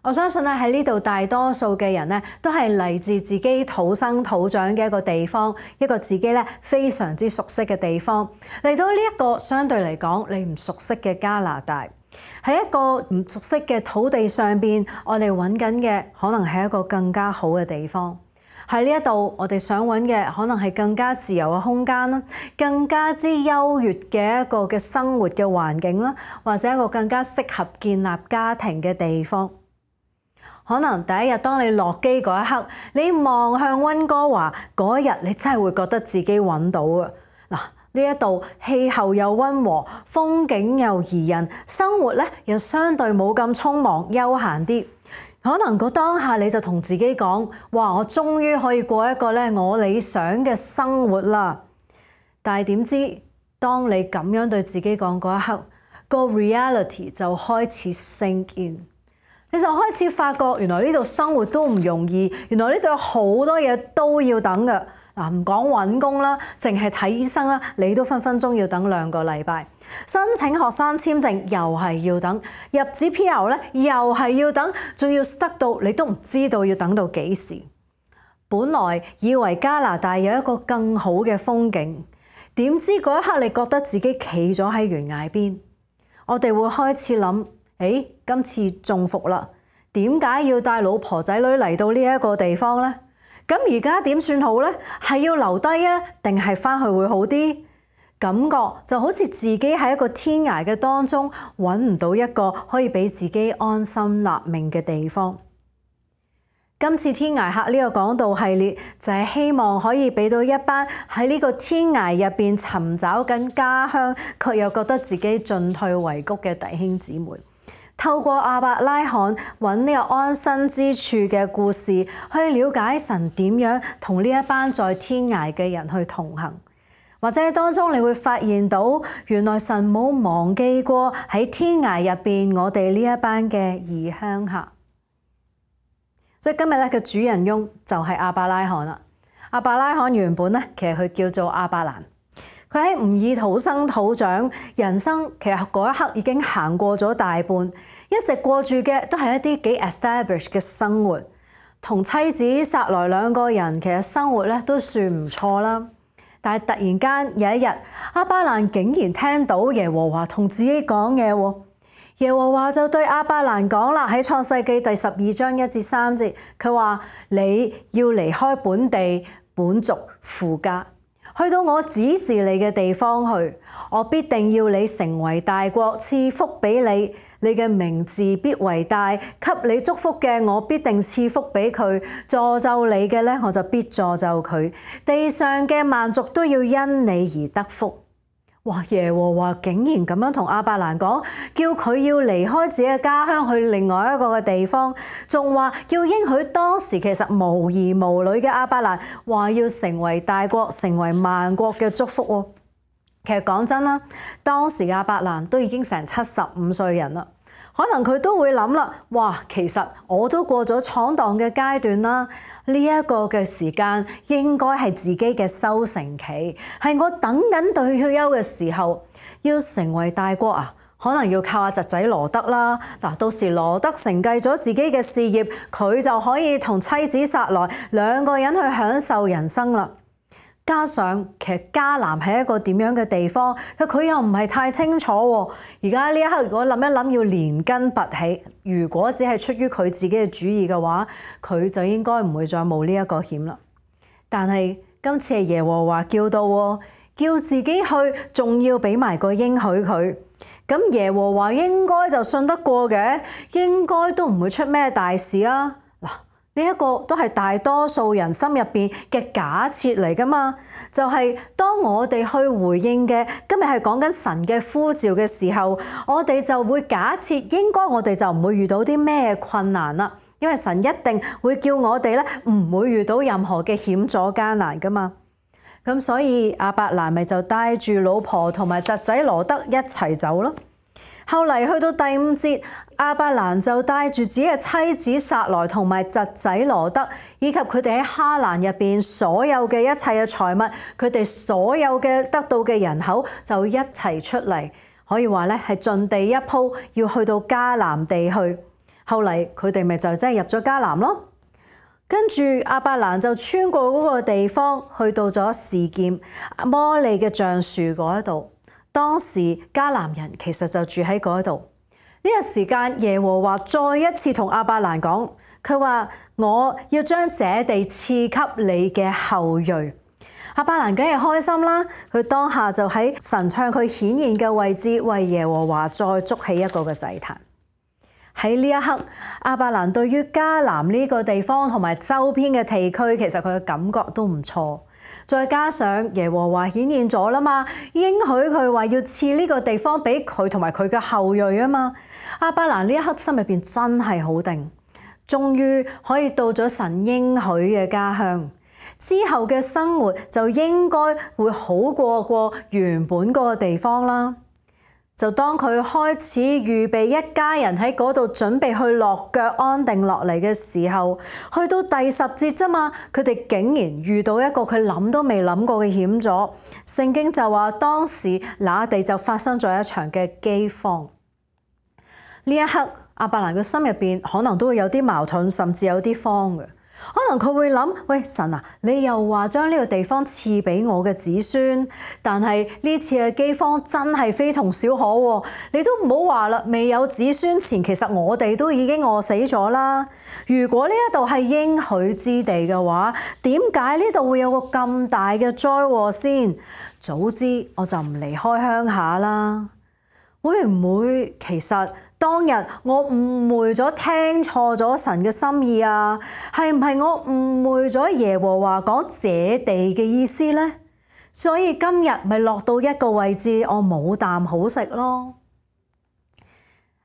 我相信咧喺呢度大多數嘅人咧都係嚟自自己土生土長嘅一個地方，一個自己咧非常之熟悉嘅地方，嚟到呢一個相對嚟講你唔熟悉嘅加拿大，喺一個唔熟悉嘅土地上邊，我哋揾緊嘅可能係一個更加好嘅地方。喺呢一度，我哋想揾嘅可能係更加自由嘅空間啦，更加之優越嘅一個嘅生活嘅環境啦，或者一個更加適合建立家庭嘅地方。可能第一日當你落機嗰一刻，你望向溫哥華嗰一日，你真係會覺得自己揾到啊！嗱，呢一度氣候又溫和，風景又宜人，生活咧又相對冇咁匆忙悠閒啲。可能個當下你就同自己講：哇！我終於可以過一個咧我理想嘅生活啦！但係點知，當你咁樣對自己講嗰一刻，個 reality 就開始 sink in。你就開始發覺，原來呢度生活都唔容易，原來呢度有好多嘢都要等嘅。嗱，唔講揾工啦，淨係睇醫生啦，你都分分鐘要等2個禮拜。申請學生簽證又係要等，入紙 PR 咧又係要等，仲要得到你都唔知道要等到幾時。本來以為加拿大有一個更好嘅風景，點知嗰一刻你覺得自己企咗喺懸崖邊。我哋會開始諗：今次中伏啦，點解要帶老婆仔女嚟到呢一個地方呢？咁而家點算好呢？係要留低啊，定係返去會好啲？感覺就好似自己喺一個天涯嘅當中，揾唔到一個可以俾自己安心立命嘅地方。今次天涯客呢個講道系列就係希望可以俾到一班喺呢個天涯入邊尋找緊家鄉，卻又覺得自己進退維谷嘅弟兄姊妹，透過亞伯拉罕揾呢個安身之處嘅故事，去了解神點樣同呢一班在天涯嘅人去同行。或者當中你會發現到，原來神冇忘記過喺天涯入邊我哋呢一班嘅異鄉客。所以今日咧嘅主人翁就係亞伯拉罕啦。亞伯拉罕原本咧其實佢叫做亞伯蘭，佢喺吾爾土生土長，人生其實嗰一刻已經行過咗大半，一直過住嘅都係一啲幾 established 嘅生活，同妻子撒萊2個人其實生活咧都算唔錯啦。但係突然間有一日，亞伯蘭竟然聽到耶和華同自己講嘢喎。耶和華就對亞伯蘭講啦，喺創世記第12章1至3節，佢話：你要離開本地本族父家，去到我指示你嘅地方去，我必定要你成為大國，賜福俾你，你嘅名字必為大，給你祝福嘅我必定賜福俾佢，詛咒你嘅咧我就必詛咒佢，地上嘅萬族都要因你而得福。哇！耶和華竟然咁樣同亞伯蘭講，叫佢要離開自己嘅家鄉去另外一個嘅地方，仲話要應許當時其實無兒無女嘅亞伯蘭，話要成為大國，成為萬國嘅祝福喎。其實講真啦，當時亞伯蘭都已經成75歲人啦，可能佢都會諗啦，哇！其實我都過咗闖蕩嘅階段啦，呢一個嘅時間應該係自己嘅收成期，係我等緊退休嘅時候，要成為大國啊，可能要靠阿侄仔羅德啦。嗱，到時羅德承繼咗自己嘅事業，佢就可以同妻子撒萊2個人去享受人生啦。加上其實迦南係一個點樣嘅地方，佢又唔係太清楚喎。而家呢一刻，如果諗一諗要連根拔起，如果只係出於佢自己嘅主意嘅話，佢就應該唔會再冒呢一個險啦。但係今次係耶和華叫到喎，叫自己去，仲要俾埋個應許佢。咁耶和華應該就信得過嘅，應該都唔會出咩大事啊。呢一個都係大多數人心入邊嘅假設嚟㗎嘛，就係當我哋去回應嘅，今日係講緊神嘅呼召嘅時候，我哋就會假設應該我哋就唔會遇到啲咩困難啦，因為神一定會叫我哋咧唔會遇到任何嘅險阻艱難㗎嘛。咁所以亞伯蘭咪就帶住老婆同埋侄仔羅德一齊走咯。後嚟去到第5節，亞伯蘭就帶住自己嘅妻子撒萊同埋侄仔羅德，以及佢哋喺哈蘭入邊所有嘅一切嘅財物，佢哋所有嘅得到嘅人口就一齊出嚟，可以話咧係盡地一鋪，要去到迦南地去。後嚟佢哋咪就真係入咗迦南咯。跟住亞伯蘭就穿過嗰個地方，去到咗示劍摩利嘅橡樹嗰度。當時迦南人其實就住喺嗰度。呢個時間，耶和華再一次同亞伯蘭講，佢話我要將這地賜給你嘅後裔。亞伯蘭梗係開心啦，佢當下就喺神向佢顯現嘅位置，為耶和華再築起一個嘅祭壇。喺呢一刻，亞伯蘭對於迦南呢個地方同埋周邊嘅地區，其實佢嘅感覺都唔錯。再加上耶和華顯現咗啦嘛，應許佢話要賜呢個地方俾佢同埋佢嘅後裔啊嘛。亞伯蘭呢一刻心入邊真係好定，終於可以到咗神應許嘅家鄉。之後嘅生活就應該會好過原本嗰個地方啦。就當佢開始預備一家人喺嗰度準備去落腳安定落嚟嘅時候，去到第10節啫嘛，佢哋竟然遇到一個佢諗都未諗過嘅險阻。聖經就話當時那地就發生咗一場嘅饑荒。呢一刻，亞伯蘭嘅心入邊可能都會有啲矛盾，甚至有啲慌嘅。可能佢會諗：喂，神啊，你又話將呢個地方賜俾我嘅子孫，但係呢次嘅饑荒真係非同小可喎。你都唔好話啦，未有子孫前，其實我哋都已經餓死咗啦。如果呢一度係應許之地嘅話，點解呢度會有個咁大嘅災禍先？早知我就唔離開鄉下啦。會唔會其實當日我誤會咗，聽錯咗神嘅心意啊？係唔係我誤會咗耶和華講這地嘅意思呢？所以今日咪落到一個位置，我冇啖好食咯。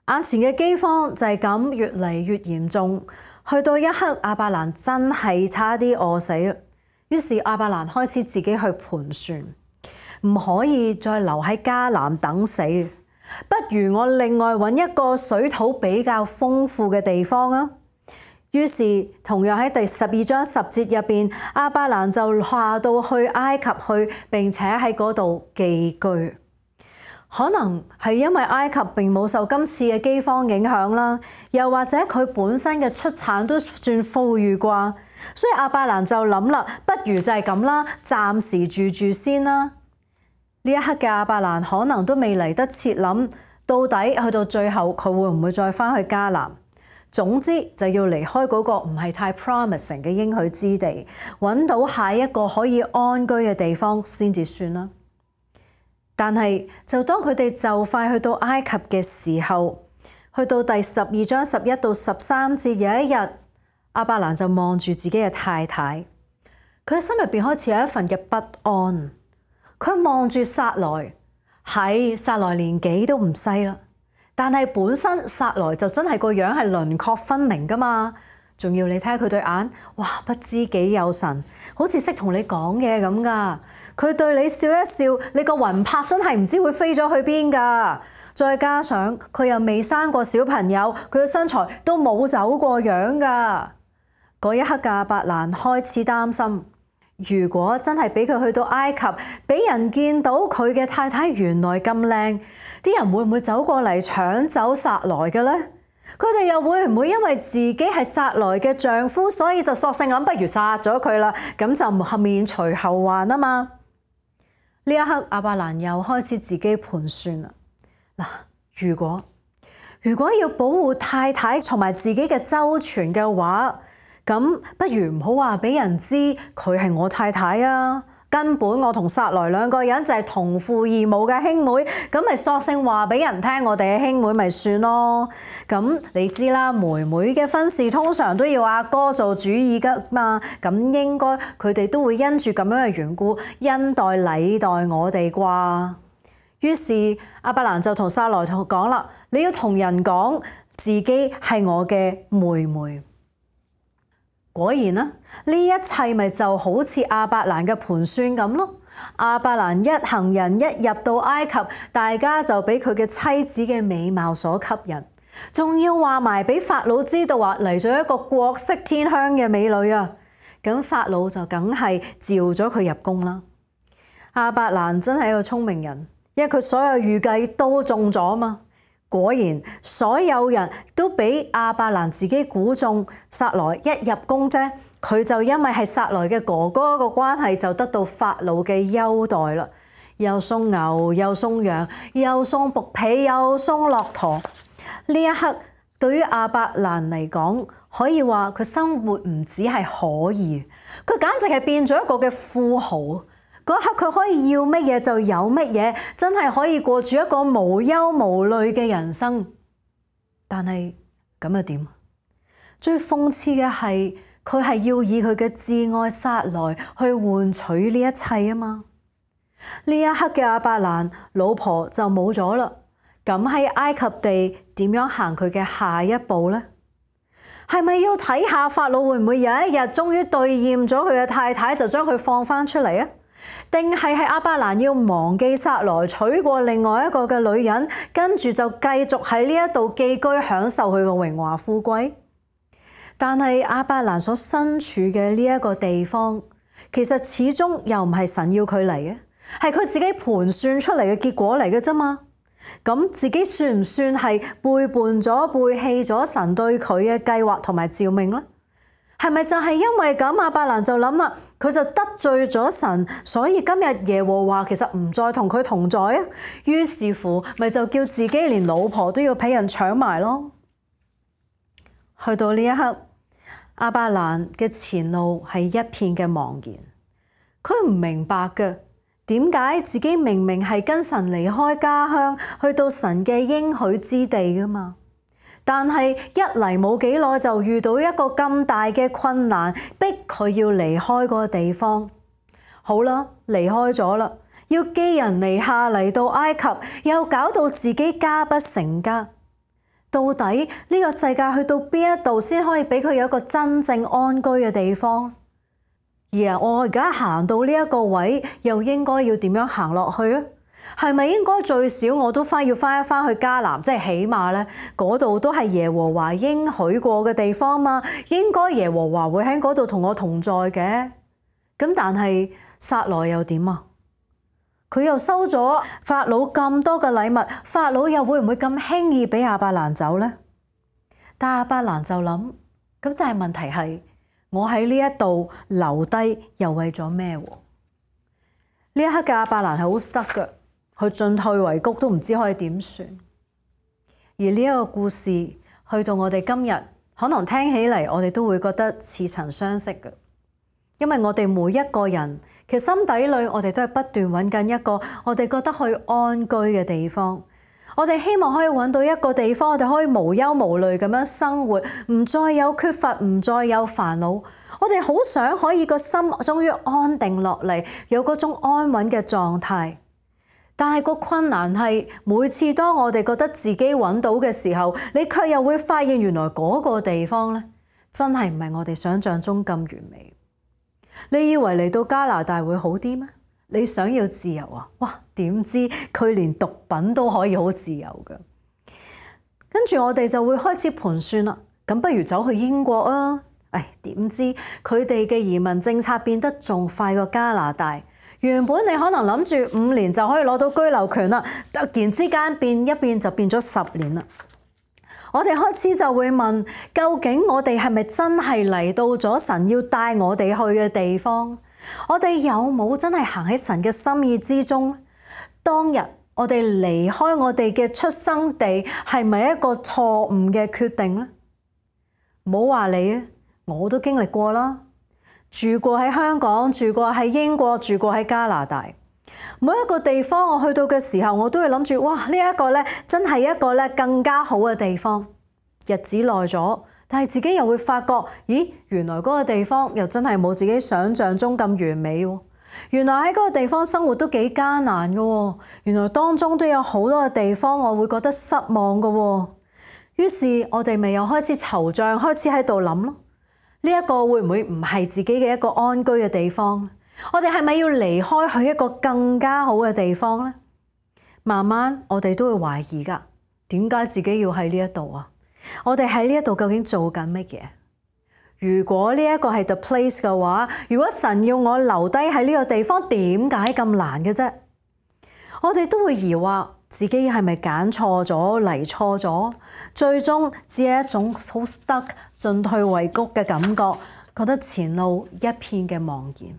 眼前嘅饑荒就係咁越嚟越嚴重，去到一刻亞伯蘭真係差啲餓死。於是亞伯蘭開始自己去盤算，唔可以再留喺迦南等死。不如我另外揾一個水土比較豐富嘅地方啊！於是同樣喺第12章10節入邊，亞伯蘭就下到去埃及去，並且喺嗰度寄居。可能係因為埃及並冇受今次嘅饑荒影響啦，又或者佢本身嘅出產都算富裕啩，所以亞伯蘭就諗啦，不如就係咁啦，暫時住住先啦。呢一刻嘅亞伯蘭可能都未嚟得切諗，到底去到最後佢會唔會再返去迦南？總之就要離開嗰個唔係太 promising 嘅應許之地，揾到下一個可以安居嘅地方先至算啦。但係就當佢哋就快去到埃及嘅時候，去到第12章11到13節，有一日亞伯蘭就望住自己嘅太太，佢心入邊開始有一份嘅不安。佢望住撒萊，係撒萊年紀都唔細啦，但係本身撒萊就真係個樣係輪廓分明噶嘛，仲要你睇下佢對眼，哇，不知幾有神，好似識同你講嘢咁噶。佢對你笑一笑，你個魂魄真係唔知會飛咗去邊噶。再加上佢又未生過小朋友，佢嘅身材都冇走過樣噶。嗰一刻嘅亞伯蘭開始擔心。如果真係俾佢去到埃及，俾人見到佢嘅太太原來咁靚，啲人會唔會走過嚟搶走撒萊嘅呢？佢哋又會唔會因為自己係撒萊嘅丈夫，所以就索性諗不如殺咗佢啦？咁就免除後患啊嘛！呢一刻亞伯蘭又開始自己盤算啦。嗱，如果要保護太太同埋自己嘅周全嘅話，咁不如唔好話俾人知佢係我太太啊！根本我同撒萊兩個人就係同父異母嘅兄妹，咁咪索性話俾人聽我哋嘅兄妹咪算咯。咁你知啦，妹妹嘅婚事通常都要阿哥做主意噶嘛，咁應該佢哋都會因住咁樣嘅緣故恩待禮待我哋啩。於是亞伯蘭就同撒萊講啦，你要同人講自己係我嘅妹妹。果然啦，呢一切咪就好似亞伯蘭嘅盤算咁咯。亞伯蘭一行人一入到埃及，大家就俾佢嘅妻子嘅美貌所吸引，仲要話埋俾法老知道話嚟咗一個國色天香嘅美女啊！咁法老就梗係召咗佢入宮啦。亞伯蘭真係一個聰明人，因為佢所有預計都中咗嘛。果然，所有人都俾亞伯蘭自己估中，撒萊一入宮啫，佢就因為係撒萊嘅哥哥個關係，就得到法老嘅優待啦。又送牛，又送羊，又送僕婢，又送駱駝。呢一刻對於亞伯蘭嚟講，可以話佢生活唔止係可以，佢簡直係變咗一個嘅富豪。嗰一刻佢可以要乜嘢就有乜嘢，真係可以過住一個無憂無慮嘅人生。但係咁又點？最諷刺嘅係佢係要以佢嘅摯愛撒萊去換取呢一切啊嘛！呢一刻嘅亞伯蘭老婆就冇咗啦，咁喺埃及地點樣行佢嘅下一步呢？係咪要睇下法老會唔會有一日終於兌現咗佢嘅太太，就將佢放翻出嚟啊？定係亞伯蘭要忘記撒萊，娶過另外一個嘅女人，跟住就繼續喺呢一度寄居，享受佢嘅榮華富貴？但係亞伯蘭所身處嘅呢一個地方，其實始終又唔係神要佢嚟嘅，係佢自己盤算出嚟嘅結果嚟嘅啫嘛。咁自己算唔算係背叛咗、背棄咗神對佢嘅計劃同埋召命呢？係咪就係因為咁，亞伯蘭就諗啦，佢就得罪咗神，所以今日耶和華其實唔再同佢同在啊。於是乎，咪就叫自己連老婆都要俾人搶埋咯。去到呢一刻，亞伯蘭嘅前路係一片嘅茫然，佢唔明白嘅，點解自己明明係跟神離開家鄉，去到神嘅應許之地噶嘛？但係一嚟冇幾耐就遇到一個咁大嘅困難，逼佢要離開嗰個地方。好啦，離開咗啦，要寄人籬下嚟到埃及，又搞到自己家不成家。到底呢個世界去到邊一度先可以俾佢有一個真正安居嘅地方？而我而家行到呢一個位，又應該要點樣行落去啊？係咪應該最少我都要翻去迦南，即係起碼咧嗰度都係耶和華應許過嘅地方嘛？應該耶和華會喺嗰度同我同在嘅。咁但係撒萊又點啊？佢又收咗法老咁多嘅禮物，法老又會唔會咁輕易俾亞伯蘭走呢？但亞伯蘭就諗，咁但係問題係，我喺呢一度留低又為咗咩？呢一刻嘅亞伯蘭係好 stuck 嘅。佢進退維谷都唔知可以點算。而呢一個故事去到我哋今日，可能聽起嚟我哋都會覺得似曾相識嘅，因為我哋每一個人其實心底裏我哋都係不斷揾緊一個我哋覺得可以安居嘅地方。我哋希望可以揾到一個地方，我哋可以無憂無慮咁樣生活，唔再有缺乏，唔再有煩惱。我哋好想可以個心終於安定落嚟，有嗰種安穩嘅狀態。但係個困難係，每次當我哋覺得自己揾到嘅時候，你卻又會發現原來嗰個地方咧，真係唔係我哋想象中咁完美。你以為嚟到加拿大會好啲咩？你想要自由啊？哇！點知佢連毒品都可以好自由㗎。跟住我哋就會開始盤算啦，咁不如走去英國啊？點知佢哋嘅移民政策變得仲快過加拿大。原本你可能諗住5年就可以攞到居留權啦，突然之間變一變就變咗10年啦。我哋開始就會問，究竟我哋係咪真係嚟到咗神要帶我哋去嘅地方？我哋有冇真係行喺神嘅心意之中？當日我哋離開我哋嘅出生地，係咪一個錯誤嘅決定呢？唔好話你啊，我都經歷過啦。住過喺香港，住過喺英國，住過喺加拿大，每一個地方我去到嘅時候，我都會諗住，哇！呢一個咧真係一個咧更加好嘅地方。日子耐咗，但係自己又會發覺，咦，原來嗰個地方又真係冇自己想象中咁完美喎。原來喺嗰個地方生活都幾艱難㗎喎。原來當中都有好多嘅地方我會覺得失望㗎喎。於是我哋咪又開始惆悵，開始喺度諗咯。呢一個會唔會唔係自己嘅一個安居嘅地方？我哋係咪要離開去一個更加好嘅地方呢？慢慢我哋都會懷疑㗎，點解自己要喺呢一度啊？我哋喺呢一度究竟做緊乜嘢？如果呢一個係 the place 嘅話，如果神要我留低喺呢個地方，點解咁難嘅啫？我哋都會疑惑自己係咪揀錯咗嚟錯咗，最終只係一種好 stuck 進退維谷嘅感覺，覺得前路一片嘅茫然。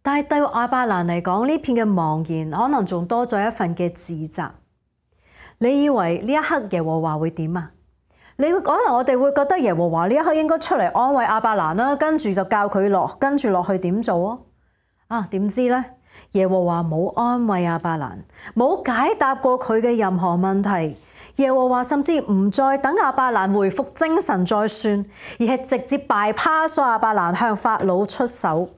但係對亞伯蘭嚟講，呢片嘅茫然可能仲多咗一份嘅自責。你以為呢一刻耶和華會點啊？可能我哋會覺得耶和華呢一刻應該出嚟安慰亞伯蘭啦，跟住就教佢跟住落去點做啊？點知呢？耶和華冇安慰亞伯蘭，冇解答過佢嘅任何問題。耶和華甚至唔再等亞伯蘭回復精神再算，而係直接bypass咗亞伯蘭向法老出手。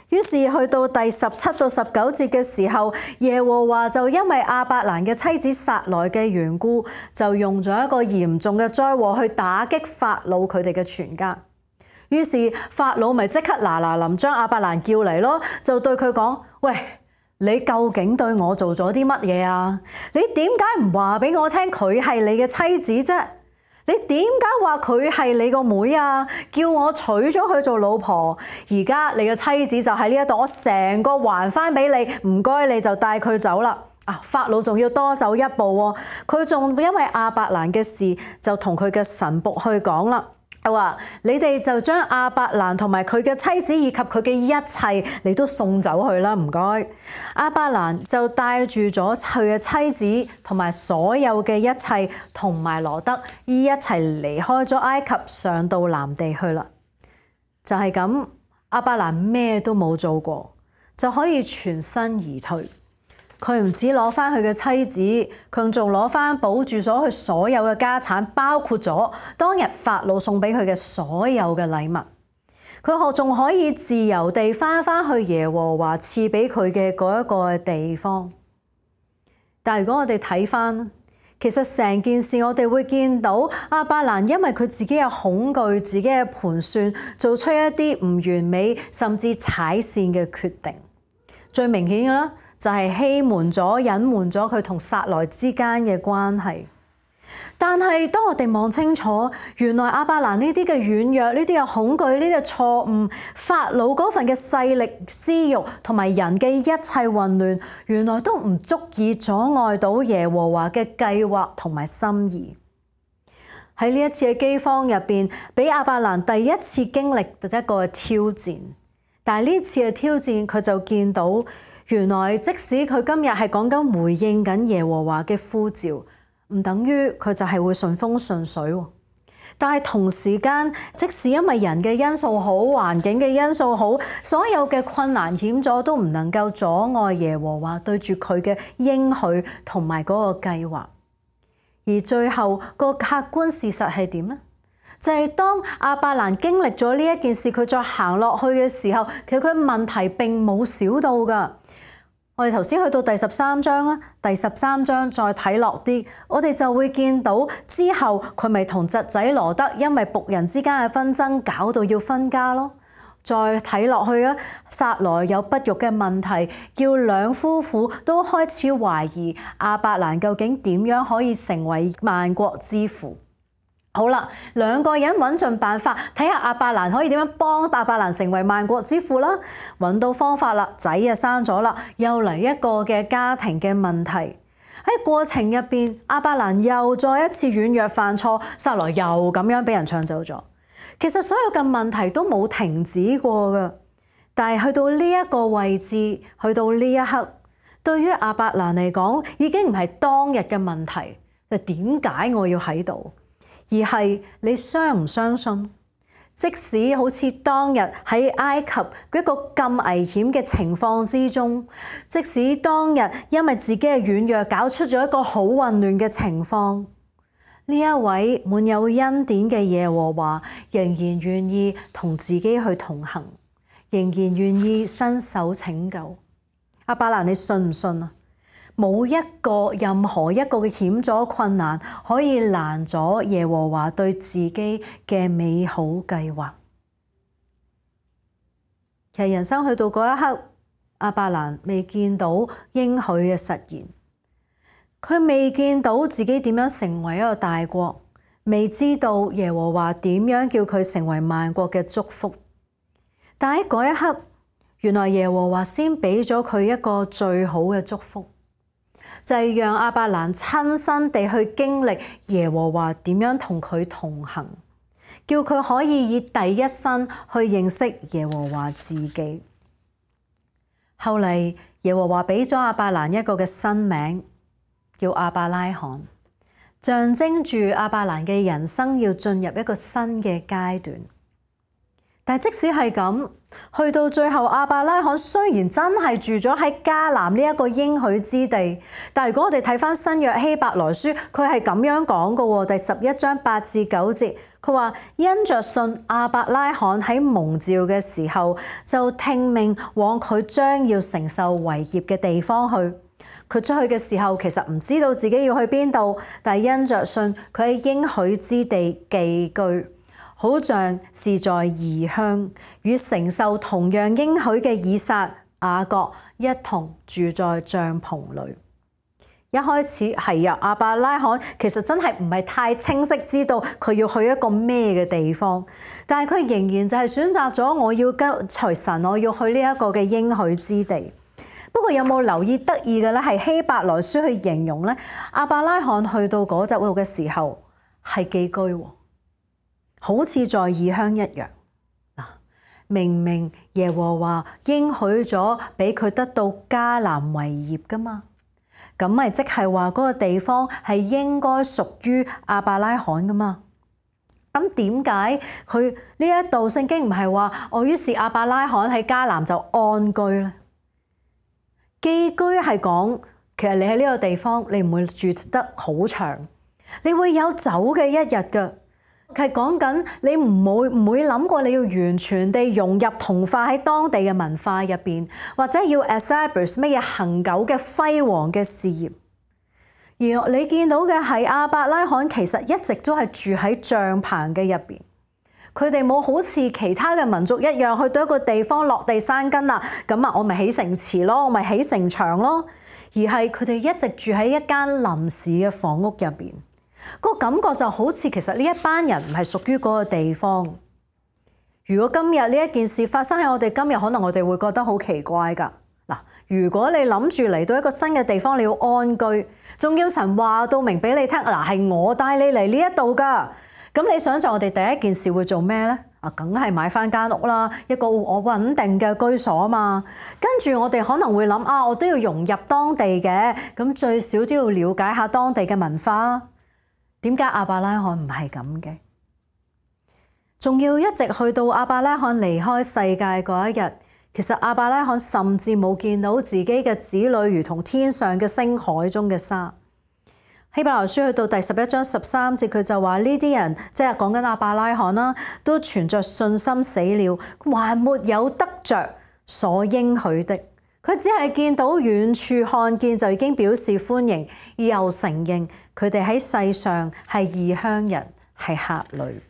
於是去到第17到19節嘅時候，耶和華就因為亞伯蘭嘅妻子撒萊嘅緣故，就用咗一個嚴重嘅災禍去打擊法老佢哋嘅全家。於是法老咪即刻嗱臨將亞伯蘭叫嚟咯，就對佢講：喂，你究竟對我做咗啲乜嘢啊？你點解唔話俾我聽佢係你嘅妻子啫？你點解話佢係你個妹啊？叫我娶咗佢做老婆，而家你嘅妻子就喺呢一度，我成個還翻俾你，唔該你就帶佢走啦。法老仲要多走一步喎，佢仲因為亞伯蘭嘅事就同佢嘅臣僕去講啦。話你哋就將亞伯蘭同埋佢嘅妻子以及佢嘅一切，你都送走去啦，唔該。亞伯蘭就帶住咗佢嘅妻子同埋所有嘅一切，同埋羅得一齊離開咗埃及，上到南地去啦。就係咁，亞伯蘭咩都冇做過，就可以全身而退。佢唔止攞翻佢嘅妻子，佢仲攞翻保住咗佢所有嘅家產，包括咗當日法老送俾佢嘅所有嘅禮物。佢仲可以自由地翻去耶和華賜俾佢嘅嗰一個地方。但如果我哋睇翻，其實成件事我哋會見到亞伯蘭因為佢自己嘅恐懼、自己嘅盤算，做出一啲唔完美甚至踩線嘅決定。最明顯嘅啦，就係欺瞞咗、隱瞞咗佢同撒萊之間嘅關係。但係當我哋望清楚，原來亞伯蘭呢啲嘅軟弱、呢啲嘅恐懼、呢啲嘅錯誤、法老嗰份嘅勢力、私欲同埋人嘅一切混亂，原來都唔足以阻礙到耶和華嘅計劃同埋心意。喺呢一次嘅饑荒入邊，俾亞伯蘭第一次經歷一個挑戰。但係呢次嘅挑戰，佢就見到原來即使佢今日係講緊回應緊耶和華嘅呼召，唔等於佢就係會順風順水。但係同時間，即使因為人嘅因素好、環境嘅因素好，所有嘅困難險阻都唔能夠阻礙耶和華對住佢嘅應許同埋嗰個計劃。而最後個客觀事實係點呢？就係當亞伯蘭經歷咗呢一件事，佢再行落去嘅時候，其實佢問題並冇少到㗎。我哋頭先去到第13章啦，第13章再睇落啲，我哋就會見到之後佢咪同侄仔羅得因為僕人之間嘅紛爭搞到要分家咯。再睇落去啊，撒萊有不育嘅問題，叫兩夫婦都開始懷疑亞伯蘭究竟點樣可以成為萬國之父。好啦，兩個人揾盡辦法，睇下亞伯蘭可以點樣幫亞伯蘭成為萬國之父啦。揾到方法啦，仔啊生咗啦，又嚟一個嘅家庭嘅問題。喺過程入邊，亞伯蘭又再一次軟弱犯錯，撒萊又咁樣俾人搶走咗。其實所有嘅問題都冇停止過㗎，但係去到呢一個位置，去到呢一刻，對於亞伯蘭嚟講，已經唔係當日嘅問題，就點解我要喺度？而係你相唔相信？即使好似當日喺埃及一個咁危險嘅情況之中，即使當日因為自己嘅軟弱搞出咗一個好混亂嘅情況，呢一位滿有恩典嘅耶和華仍然願意同自己去同行，仍然願意伸手拯救。亞伯蘭，你信唔信啊？冇任何一個嘅險阻困難可以攔阻耶和華對自己嘅美好計劃。其實人生去到嗰一刻，亞伯蘭未見到應許嘅實現，佢未見到自己點樣成為一個大國，未知道耶和華點樣叫佢成為萬國嘅祝福。但喺嗰一刻，原來耶和華先俾咗佢一個最好嘅祝福。就係讓亞伯蘭親身地去經歷耶和華點樣同佢同行，叫佢可以以第一身去認識耶和華自己。後嚟耶和華俾咗亞伯蘭一個嘅新名，叫亞伯拉罕，象徵住亞伯蘭嘅人生要進入一個新嘅階段。但係即使係咁，去到最後亞伯拉罕雖然真係住咗喺迦南呢一個應許之地，但係如果我哋睇返新約希伯來書，佢係咁樣講嘅喎，第11章8至9節，佢話因着信亞伯拉罕喺蒙召嘅時候，就聽命往佢將要承受為業嘅地方去。佢出去嘅時候其實唔知道自己要去邊度，但係因着信佢喺應許之地寄居，好像是在異鄉，與承受同樣應許嘅以撒、雅各一同住在帳篷裏。一開始係啊，亞伯拉罕其實真係唔係太清晰知道佢要去一個咩嘅地方，但係佢仍然就係選擇咗我要跟隨神，我要去呢一個嘅應許之地。不過有冇留意得意嘅咧？係希伯來書去形容咧，亞伯拉罕去到嗰度嘅時候係寄居喎。好似在異鄉一樣，明明耶和華應許咗俾佢得到迦南為業噶嘛，咁咪即係話嗰個地方係應該屬於亞伯拉罕噶嘛？咁點解佢呢一度聖經唔係話於是亞伯拉罕喺迦南就安居咧？寄居係講其實你喺呢個地方你唔會住得好長，你會有走嘅一日噶。係講緊你唔會諗過你要完全地融入同化喺當地嘅文化入邊，或者要 establish 乜嘢恆久嘅輝煌嘅事業。而你見到嘅係亞伯拉罕其實一直都係住喺帳篷嘅入邊，佢哋冇好似其他嘅民族一樣去到一個地方落地生根啦，咁啊我咪起城池咯，我咪起城牆咯，而係佢哋一直住喺一間臨時嘅房屋入邊。個感覺就好似其實呢一班人唔係屬於嗰個地方。如果今日呢一件事發生喺我哋今日，可能我哋會覺得好奇怪㗎。嗱，如果你諗住嚟到一個新嘅地方，你要安居，仲要神話到明俾你聽，嗱係我帶你嚟呢一度㗎。咁你想像我哋第一件事會做咩呢？梗係買返間屋啦，一個我穩定嘅居所啊嘛。跟住我哋可能會諗我都要融入當地嘅，咁最少都要了解下當地嘅文化。點解亞伯拉罕唔係咁嘅？仲要一直去到亞伯拉罕離開世界嗰一日，其實亞伯拉罕甚至冇見到自己嘅子女如同天上嘅星、海中嘅沙。希伯來書去到第11章13節，佢就話呢啲人即係講緊亞伯拉罕啦，都存着信心死了，還沒有得着所應許的。佢只係見到遠處看見就已經表示歡迎，又承認佢哋喺世上係異鄉人，係客旅。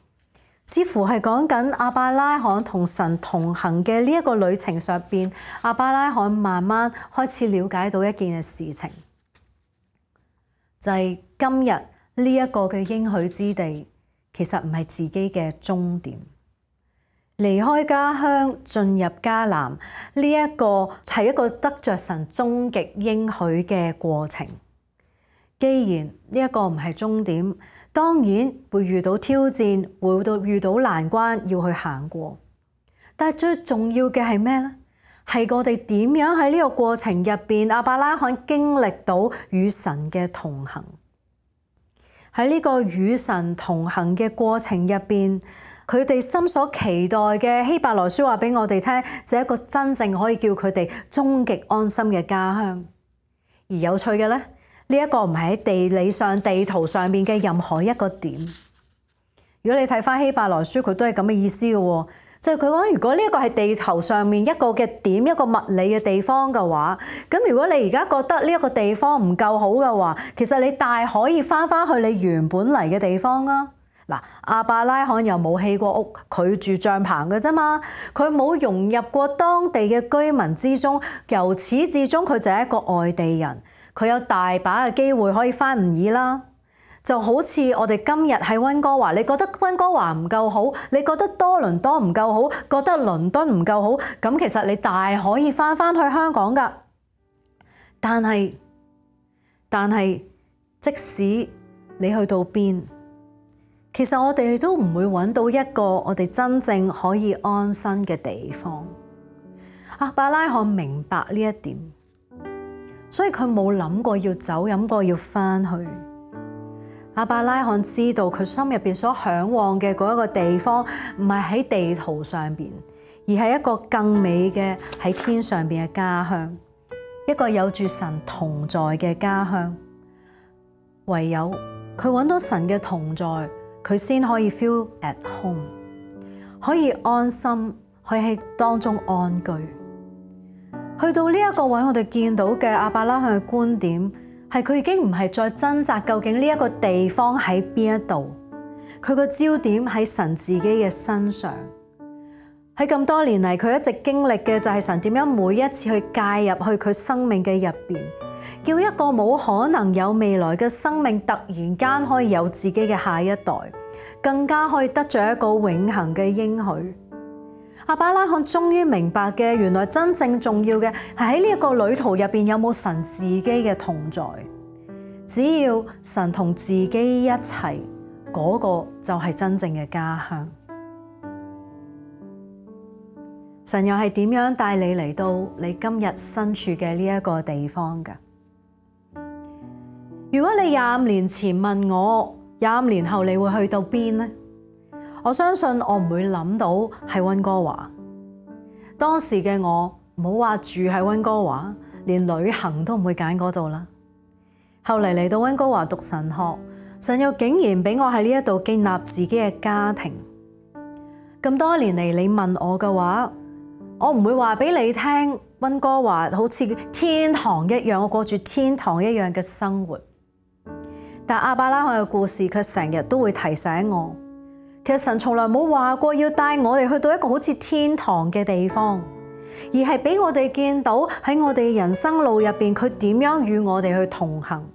似乎係講緊亞伯拉罕同神同行嘅呢一個旅程上邊，亞伯拉罕慢慢開始了解到一件嘅事情，就係今日呢一個嘅應許之地，其實唔係自己嘅終點。離開家鄉進入迦南呢一個係一個得着神終極應許嘅過程。既然呢一個唔係終點，當然會遇到挑戰，會遇到難關要去行過。但係最重要嘅係咩呢？係我哋點樣喺呢個過程入邊，亞伯拉罕經歷到與神嘅同行。喺呢個與神同行嘅過程入邊，佢哋心所期待嘅希伯來書話俾我哋聽，就係一個真正可以叫佢哋終極安心嘅家鄉。而有趣嘅咧，呢一個唔係喺地理上、地圖上面嘅任何一個點。如果你睇翻希伯來書，佢都係咁嘅意思嘅喎，就係佢講，如果呢一個係地球上面一個嘅點，一個物理嘅地方嘅話，咁如果你而家覺得呢一個地方唔夠好嘅話，其實你大可以翻返去你原本嚟嘅地方啊！嗱，亞伯拉罕又冇起過屋，佢住帳篷嘅啫嘛，佢冇融入過當地嘅居民之中，由始至終佢就係一個外地人，佢有大把嘅機會可以翻吾爾啦。就好似我哋今日喺溫哥華，你覺得溫哥華唔夠好，你覺得多倫多唔夠好，覺得倫敦唔夠好，咁其實你大可以翻返去香港㗎。但係但係即使你去到邊，其實我哋都唔會揾到一個我哋真正可以安身嘅地方。亞伯拉罕明白呢一點，所以佢冇諗過要走，諗過要翻去。亞伯拉罕知道佢心入邊所向往嘅嗰一個地方，唔係喺地圖上邊，而係一個更美嘅喺天上邊嘅家鄉，一個有住神同在嘅家鄉。唯有佢揾到神嘅同在，佢先可以 feel at home， 可以安心，可以喺當中安居。去到呢一個位，我哋見到嘅亞伯拉罕嘅觀點係佢已經唔係再掙扎究竟呢一個地方喺邊一度，佢個焦點喺神自己嘅身上。喺咁多年嚟，佢一直經歷嘅就係神點樣每一次去介入去佢生命嘅入邊，叫一個冇可能有未來嘅生命突然間可以有自己嘅下一代，更加可以得着一個永恆嘅應許。亞伯拉罕終於明白嘅，原來真正重要嘅係喺呢一個旅途入邊有冇神自己嘅同在。只要神同自己一齊，嗰個就係真正嘅家鄉。神又係點樣帶你嚟到你今日身處嘅呢一個地方㗎？如果你25年前問我25年後你會去到邊呢？我相信我唔會諗到係溫哥華。當時嘅我冇話住喺溫哥華，連旅行都唔會揀嗰度啦。後嚟嚟到溫哥華讀神學，神又竟然俾我喺呢一度建立自己嘅家庭。咁多年嚟，你問我嘅話，我唔會話俾你聽溫哥華好似天堂一樣，我過住天堂一樣嘅生活。但亞伯拉罕嘅故事卻成日都會提醒我，其實神從來冇話過要帶我哋去到一個好似天堂嘅地方，而係俾我哋見到喺我哋人生路入邊，佢點樣與我哋去同行。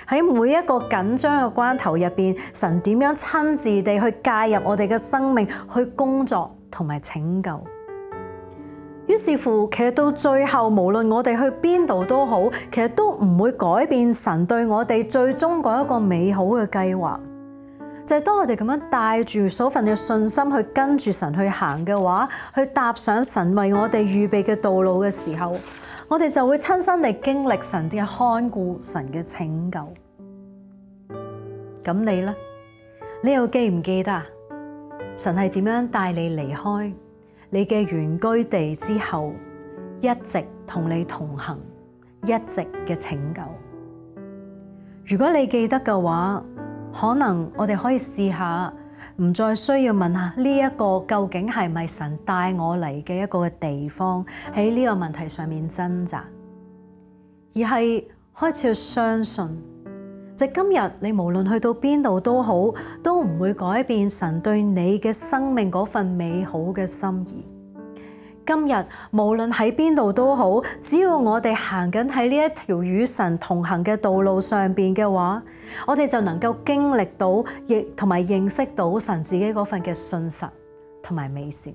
喺每一個緊張嘅關頭入邊，神點樣親自地去介入我哋嘅生命，去工作同埋拯救。於是乎，其實到最後，無論我哋去邊度都好，其實都唔會改變神對我哋最終嗰一個美好嘅計劃。就係當我哋咁樣帶住嗰份嘅信心去跟住神去行嘅話，去踏上神為我哋預備嘅道路嘅時候，我哋就會親身地經歷神嘅看顧、神嘅拯救。咁你呢？你又記唔記得啊？神係點樣帶你離開你嘅原居地之後，一直同你同行，一直嘅拯救？如果你記得嘅話，可能我哋可以試下，唔再需要問下呢一個究竟係咪神帶我嚟嘅一個地方，喺呢個問題上面掙扎，而係開始去相信，即今日你無論去到邊度都好，都唔會改變神對你嘅生命嗰份美好嘅心意。今日無論喺邊度都好，只要我哋行緊喺呢一條與神同行嘅道路上邊嘅話，我哋就能夠經歷到，亦同埋認識到神自己嗰份嘅信實同埋美善。